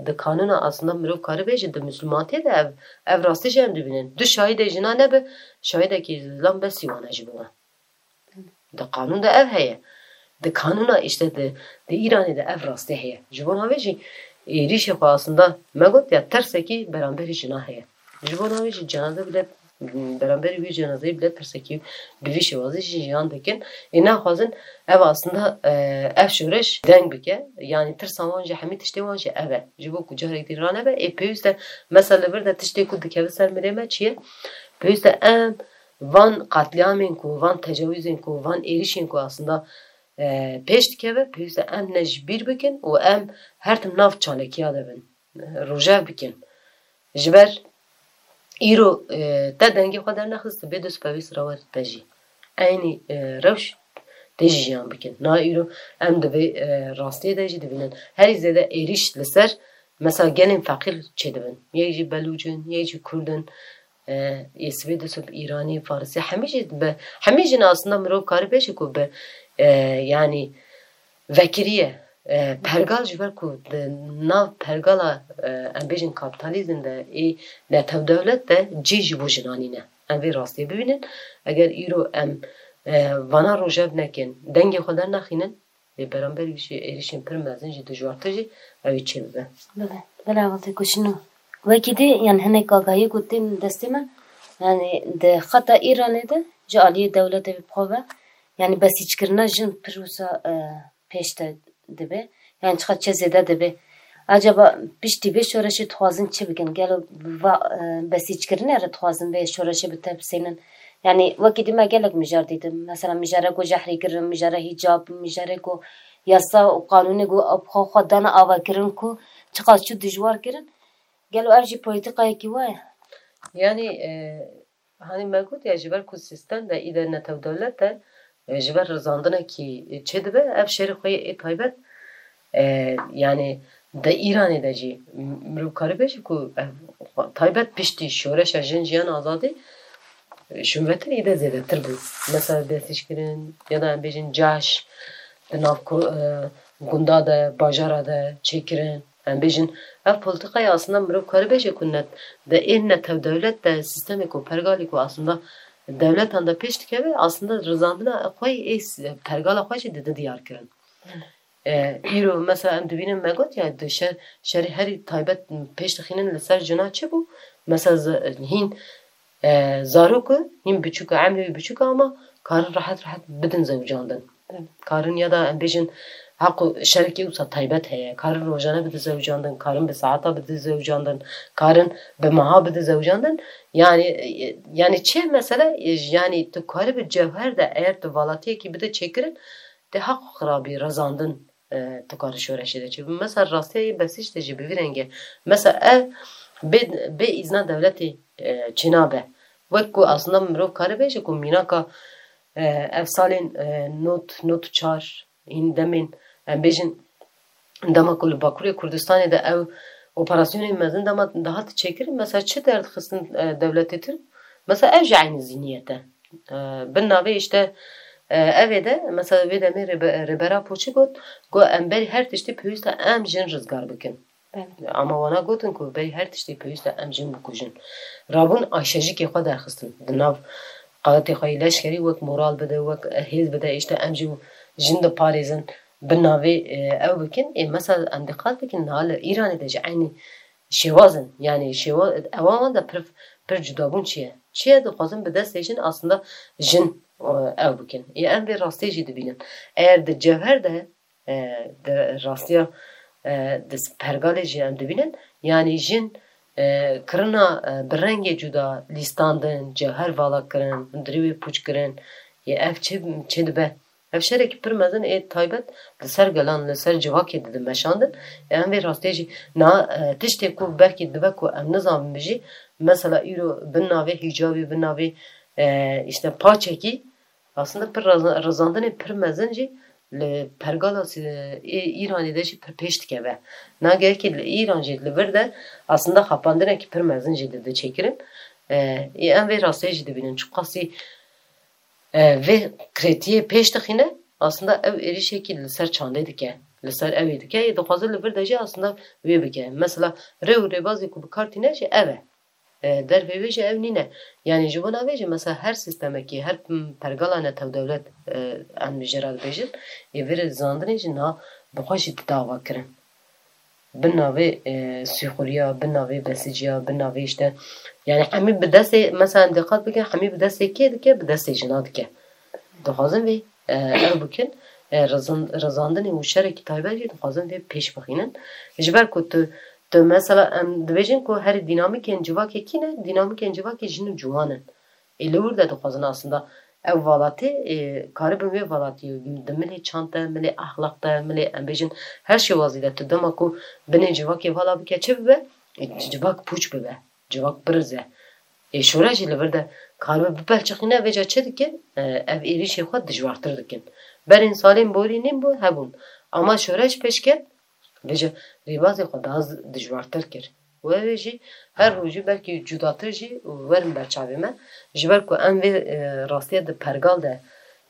di qanûna aslında mirov karibê jî di Mislimantiyê de ev, ev rastî jî em dibînin. Du şahîdê jina nebe, şahîdekî zilam besî wan e ji bo wan. Di qanûn de ev heye. Di qanûna işte di, di Îranê de ev rastî heye. Ji bona vê jî êrîşê xwe aslında me got ya tersekî beramberî jina heye. Ji bona vê jî cenaze bile, beramberî wî cenazeyê bile tersekî bi vî şêwazî jî jiyan dikin. Ê naxwazin ev aslında, e, ev şoreş deng bike. Yanî tirsa wan jî hemî tiştê wan jî ev e. Ji bo ku carek dî ranebe, ê pêwîst e mesela li vir de tiştê ku dikeve ser mirê me çi ye? Pêwîst e em van qetlîamên ku, van tecawîzên ku, van êrîşên ku aslında, e, pêş dikeve, pêwîst e em ne ji bîr bikin û em her tim nav çalekiya de bin, e, rojev bikin. Ji ber îro, e, te dengê xwe dernexist, bê dest pevîst rewer te jî eynî, e, rewş tê jî jiyan bikin. Niha îro em di vê, e, rastiyê de jî dibînin. Herî zêde êrîş li ser mesela gelên feqîr çêdibin. Yek jî Belûc in, yek jî Kurd in, e, yê sibê dest bi Îranî, Farisî, hemî jî bi, hemî jî ne aslında mirov karî bêje ku bi, e, yanî vekirî ye. E, pergal ji ber ku di nav pergala, e, em bêjin kapîtalîzm de ê netew dewlet de cî ji bo jinan nîne. Em vê rastiyê bibînin. Eger îro em, e, vana rojev nekin, dengê xwe dernexînin, lê beramberî jî êrîşên pir mezin jî dijwartir jî ew ê çêbibe. Belê, belê, avazê ku şino. Wekî dî, yani hinek agahiyê ku tên destê me, yani di xeta Îranê de ji aliyê dewletê bi xwe ve, yani besîçkirina jin pir wisa, e, pêş de dibe. Yani çiqas çi zêde dibe. Acaba piştî vê şoreşê dixwazin çi bikin? Gelo va, e, besîçkirinê re dixwazin vê şoreşê bi tepsênin? Yani wekî dî me gelek mijar dîtin. Mesela mijare ku jehrî kirin, mijare hîcab, mijare ku yasa û qanûnê ku xwe, xwe dane avakirin ku çiqas çû dijwar kirin. Gelo ev jî polîtîkayekî wa ye? Yani, e, Hanî me got ya ji ber ku sîstem de îde netew dewlet e, e, ji ber rizandinekî çêdibe, ev şerê xwe yê ê taybet, e, yani di Îranê de jî m-, mirov karî bêje ku ev taybet piştî şoreşa jin jiyan azadî, e, şûnvetir îde zêdetir bû. Mesela destnîşkirin ya da em bêjin caş di nav ku-, e, gunda de, bajara de çêkirin. Em bêjin, ev polîtîkayê aslında mirov karî bêje ku net, di ê netew dewlet de sîstemê ku pergalê ku aslında dewletan de pêş dikeve, aslında rizandina xwe yê s-, pergala xwe jî dide diyar kirin. E, îro mesela em dibînin me got ya di şer, şerê herî taybet pêş dixînin li ser jina çi bû? Mesela z-, hîn e, zaroku hîn biçûk e, emrê wî biçûk e ama karin rehet rehet bidin zewicandin. Evet. Karin ya da em bêjin heqû şerekî wisa taybet heye. Karin rojane bide zewicandin, karin bi saeta bide zewicandin, karin bi meha bide zewicandin. Yani, e, yani çi mesele, e, yani tu karî bi cewher de eğer tu valatiyekî bide çêkirin, de heq xirabî rezandin e, tu karî şoreşê de çêbî. Mesela rastiya yê besîç de jî bi vî rengî. Mesela ev bê, bê îzna dewletê, e, çênabe. Wek ku aslında mirov karî bêje ku mînaka, e, ev salên, e, nod, nod çar hîn demên, em bêjin dema ku li Bakurê Kurdistanê de ew operasyonên mezin dema dihate çêkirin, mesela çi derdixistin, e, dewletê Tirk? Mesela ev jî eynî zîniyet e. E, bin navê işte, e, evê de, mesela vê demê rêbe-, rêbera Apo çi got? Got, em berî her tiştî pêwîst e em jin rizgar bikin. Belê. Ama wana gotin ku berî her tiştî pêwîst e em jin bikujin. Rabûn aşejikê xwe derxistin. Di nav qewetê xwe yê leşkerî wek moral bide, wek hêz bide, işte em jî jin diparêzin, bin navê, e, ew bikin. Ê, mesela em diqet bikin, niha li Îranê de jî eynî şêwaz in. Yani şêwa-, ewan wan de pir, pir cudabûn çi ye? Çi ye dixwazin bi destê jin aslında jin, e, ew bikin. Ê em vê rastiyê jî dibînin. Eğer di cevher de, e, di rastiya, e, di pergalê jî em dibînin, yani jin, e, kirina, e, bi rengê cuda lîstandin, cevher vala kirin, hundirî wê pûç kirin. Ê ev çi, çi dibe? Ev şerekî pir mezin ê taybet li ser gelan, li ser civakê dide meşandin. Em vê rastiyê jî na, e, tiştê ku belkî dibe ku em nizanbin jî, mesela îro bin navê hîcabî, bin navê, e, işte paçekî, aslında pir rizan-, rizandinê pir mezin jî li pergala si-, ê Îranê de jî pir pêş dikeve. Na gelekî li Îran jî li vir de aslında xapandinekî pir mezin jî dide çêkirin. E, ê em vê rastiyê jî dibînin. Çiqasî e, vê kretiyê pêş dixîne, aslında ew êrîşekî li ser çandê dike. Li ser ew ê dike, ê dixwaze li vir de jî aslında wê bike. Mesela rê û rêbazê ku bi kar tîne jî ev e. E, dervê wê jî ew nîne. Yanî ji bona vê jî mesela her sîstemekî, her, m, pergala netewdewlet, e, em jê re dibêjin, ê vê rê zandinê jî niha bi xwe jî dide avakirin. Bi navê, e, sîxuriya, bi navê besiciya, bi navê işte, yanî hemî bi destê, mesela em diqet bikin, hemî bi destê kê dike? Bi destê jina dike. Dixwazin vê, e, ew bikin, e, rizin-, rizandinê û şerekî taybet jî dixwazin vê pêş bixînin. Ji ber ku tu, tu mesela em dibêjin ku herî dînamîkên civakê kî ne? Dînamîkên civakê jin û ciwan in. Ê li wir de dixwazin aslında ev valatê, ê, karibin wê valatî di milê çand de, milê exlaq de, milê em bêjin her şêwazî de tu dema ku binê civakê vala bike çi bibe? Ê, civak pûç bibe, civak birize. Ê, şoreş jî li vir de karibe bipelçixîne, vêca çi dikin? Ê, ev êrîşê xwe dijwartir dikin. Berên salên borî nîn bû, hebûn. Ama şoreş pêş ket, vêca rêbazê xwe daha z-, dijwartir kir. Û ew ê jî her rojî belkî cudatir jî werin ber çavê me. Ji ber ku em vê, e, rastiya di pergal de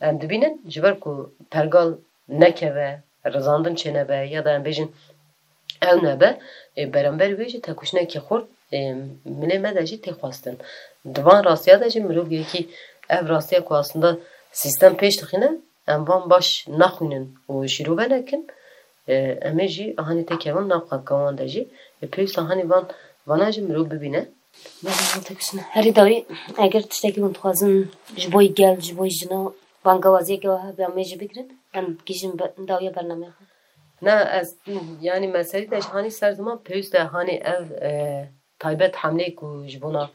em dibînin, ji ber ku pergal nekeve, rizandin çênebe ya da em bêjin ew nebe, e, beramber wê jî têkoşînekî xurt, e, milê me de jî tê xwestin. Di van rastiya de jî mirov yekî ev rastiya ku aslında sîstem pêş dixîne, em van baş naxwînin û şîrove nekin, e, em ê jî hanî têkevin nav xelka wan de jî. E, pêwîst e hanî van, vana jî mirov bibîne. Belê, van têkoşîne. Herî dawî, eger tiştekî hûn dixwazin ji bo gel, ji bo jina, bangewaziyeke we hebe, em ê jî bigirin, em gihîjin be-, dawiya bernameya xwe. Na, ez, yanî me serî de ji hanî ser ziman pêwîst e hanî ev, e, taybet hemleyê ku ji bona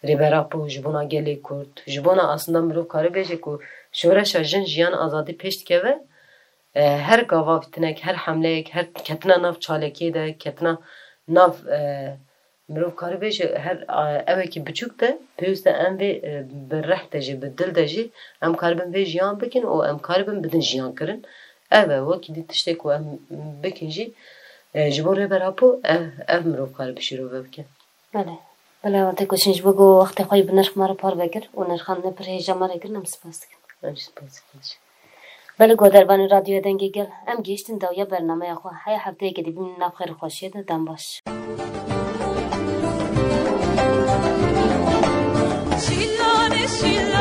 Rêber Apo, ji bona gelê Kurd, ji bona aslında mirov kare bêje ku şoreşa jin, jiyan, azadî pêş dikeve, e, her gava vîtinek, her hemleyek, her ketina nav çalekê de, ketina nav, e, mirov kare bêje her, e, ewekî biçûk de, pêwîst e em vê, e, bi reh de jî, bi dil de jî em karibin vê jiyan bikin û em karibin bidin jiyan kirin. Ev e, wekî dî tiştê ku em bikin jî, e, ji bo Rêber Apo ev, ev mirov kare bi şîrove bike. Belê. Belê, ew têkoşîn ji bo ku wextê xwe yî bi nirx me re parve kir û nirxandinê pir hêja me re kirin, em spas dikin. Em jî spas dikin. Belê, guhdarvanê Radyoya Dengê Gel, em gihîştin dawiya bernameya xwe. Heya hefteyeke dî bimînin nav xêr û xweşiyê de, dem baş. Şîlane, şîlane.